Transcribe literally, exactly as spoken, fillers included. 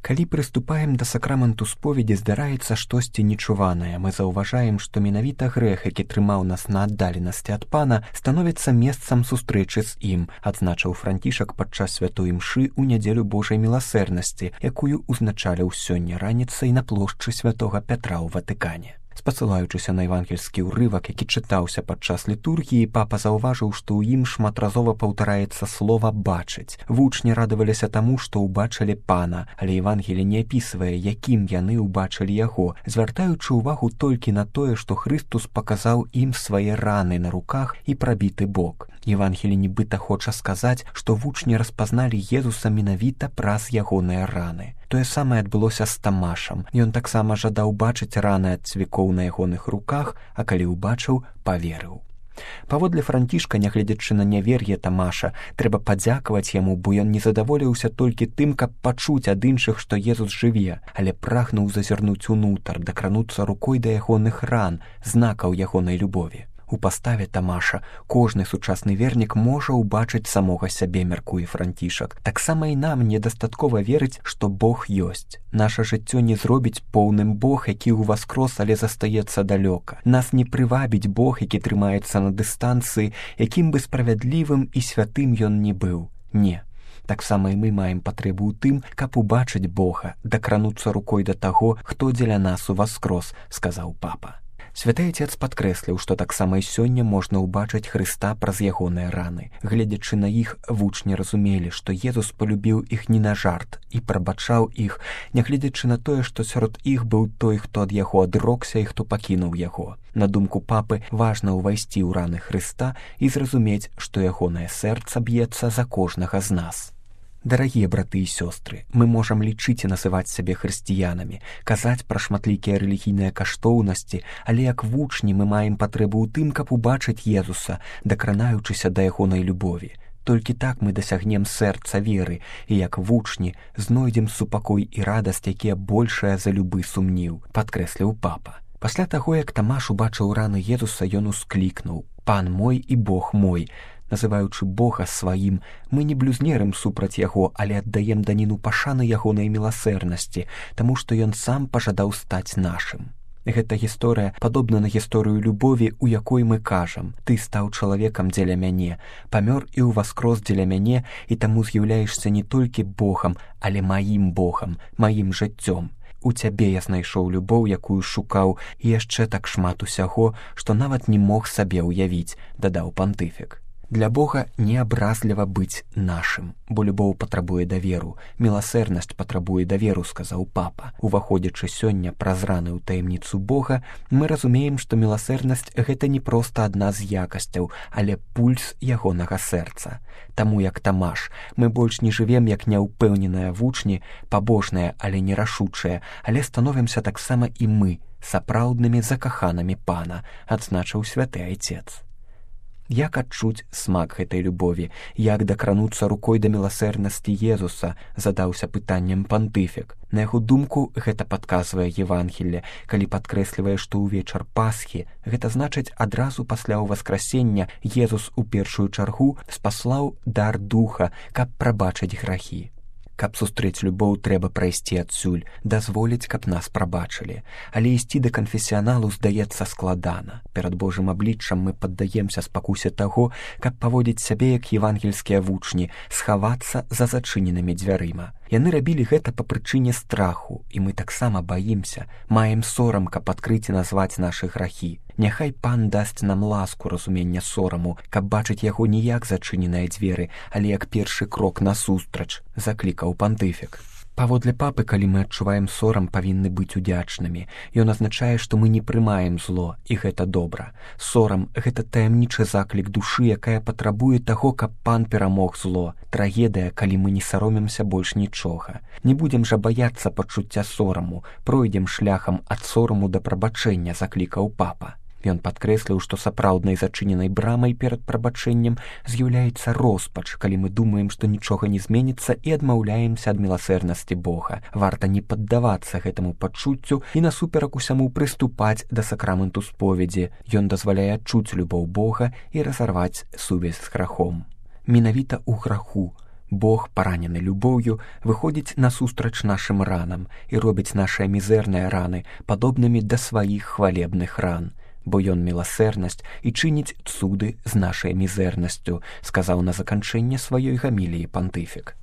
Калі прыступаем да сакраменту споведзі, здараецца штосьці нечуванае. Мы заўважаем, што менавіта грэх, які трымаў нас на аддаленасці ад Пана, становіцца месцам сустрэчы з ім, адзначыў Францішак падчас святой імшы ў нядзелю Божай міласэрнасці, якую узначаліў сёння раніцай на плошчы святога Пятра ў Ватыкане. Спасылаючыся на евангельскі ўрывак, які чытаўся падчас літургіі, папа заўважыў, што ў ім шматразова паўтараецца слова «бачыць». Вучні радаваліся таму, што ўбачылі Пана, але Евангелі не апісвае, якім яны ўбачылі яго, звяртаючы ўвагу толькі на тое, што Хрыстус паказаў ім свае раны на руках і прабіты бок. Евангелі нібыта хоча сказаць, што вучні распазналі Езуса менавіта праз ягоныя раны. Тое самае адбылося з Тамашам. Ён таксама жадаў бачыць раны ад цвікоў на ягоных руках, а калі ўбачыў, паверыў. Паводле Францішка, нягледзячы на нявер'е Тамаша, трэба падзякаваць яму, бо ён не задаволіўся толькі тым, каб пачуць ад іншых, што Езус жыве, але прагнуў зазірнуць унутр, дакрануцца рукой да ягоных ран, знакаў ягонай любові. У паставе Тамаша кожны сучасны вернік можа ўбачыць самога сябе, мяркуе Францішак. Таксама і нам недастаткова верыць, што Бог ёсць. Наша жыццё не зробіць поўным Бог, які ўваскрос, але застаецца далёка. Нас не прывабіць Бог, які трымаецца на дыстанцыі, якім бы справядлівым і святым ён не быў. Не. Таксама і мы маем патрэбу ў тым, каб убачыць Бога, дакрануцца рукой да таго, хто дзеля нас уваскрос, сказаў папа. Святы Отец падкрэсліў, што таксама і сёння можна ўбачыць Хрыста праз ягоныя раны. Гледзячы на іх, вучні разумелі, што Езус палюбіў іх не на жарт і прабачаў іх, нягледзячы на тое, што сярод іх быў той, хто ад яго адрокся і хто пакінуў яго. На думку папы, важна ўвайсці ў раны Хрыста і зразумець, што ягонае сэрца б'ецца за кожнага з нас. Дарагія браты і сёстры, мы можам лічыць і называць сябе хрысціянамі, казаць пра шматлікія рэлігійныя каштоўнасці, але як вучні мы маем патрэбу ў тым, каб убачыць Езуса, дакранаючыся да ягонай любові. Толькі так мы дасягнем сэрца веры і, як вучні, знойдзем супакой і радасць, якія большая за любы сумніў, падкрэсліў папа. Пасля таго, як Тамаш убачыў раны Езуса, ён усклікнуў: «Пан мой і Бог мой». Называючы Бога сваім, мы не блюзнерым супраць яго, але аддаем даніну пашаны ягонай міласэрнасці, таму што ён сам пажадаў стаць нашым. Гэта гісторыя падобна на гісторыю любові, у якой мы кажам: «Ты стаў чалавекам дзеля мяне, памёр і ўваскрос дзеля мяне, і таму з'яўляешся не толькі Богам, але маім Богам, маім жыццём. У цябе я знайшоў любоў, якую шукаў, і яшчэ так шмат усяго, што нават не мог сабе ўявіць», — дадаў пантыфік. Для Бога неабразліва быць нашым, бо любоў патрабуе даверу, міласэрнасць патрабуе даверу, сказаў папа. Уваходзячы сёння праз раны ў таямніцу Бога, мы разумеем, што міласэрнасць — гэта не проста адна з якасцяў, але пульс ягонага сэрца. Таму, як Тамаш, мы больш не жывем як няўпэўненыя вучні, пабожныя, але нерашучыя, але становімся таксама і мы, сапраўднымі закаханамі Пана, адзначыў святы Айцец. Як адчуць смак гэтай любові, як дакрануцца рукой да міласэрнасці Езуса, задаўся пытаннем пантыфік. На яго думку, гэта падказвае Евангелле, калі падкрэслівае, што ўвечар Пасхі, гэта значыць адразу пасля ўваскрасення, Езус у першую чаргу спаслаў дар духа, каб прабачыць грахі. Каб сустрэць любоў, трэба прайсці адсюль, дазволіць, каб нас прабачылі. Але ісці да канфесіяналу здаецца складана. Перад Божым абліччам мы паддаемся спакусе таго, каб паводзіць сябе як евангельскія вучні, схавацца за зачыненымі дзвярыма. Яны рабілі гэта па прычыне страху, і мы таксама баімся, маем сорам, каб адкрыць і назваць нашы грахі. Няхай Пан дасць нам ласку разумення сораму, каб бачыць яго не як зачыненыя дзверы, але як першы крок насустрач, заклікаў пантыфік. Паводле папы, калі мы адчуваем сорам, павінны быць удзячнымі. Ён азначае, што мы не прымаем зло, і гэта добра. Сорам — гэта таямнічы заклік душы, якая патрабуе таго, каб Пан перамог зло. Трагедыя, калі мы не саромемся больш нічога. Не будзем жа баяцца пачуцця сораму, пройдзем шляхам ад сораму да прабачэння, заклікаў папа. Ён падкрэсліў, што сапраўднай зачыненай брамай перад прабачэннем з'яўляецца роспач, калі мы думаем, што нічога не зменіцца і адмаўляемся ад міласэрнасці Бога. Варта не паддавацца гэтаму пачуццю і насуперак усяму прыступаць да сакраменту споведзі. Ён дазваляе адчуць любоў Бога і разарваць сувязь з грахом. Менавіта ў граху Бог, паранены любоўю, выходзіць насустрач нашым ранам і робіць нашыя мізэрныя раны падобнымі да сваіх хвалебных ран, бо ён міласэрнасць і чыніць цуды з нашай мізэрнасцю, сказаў на заканчэнне сваёй гаміліі пантыфік.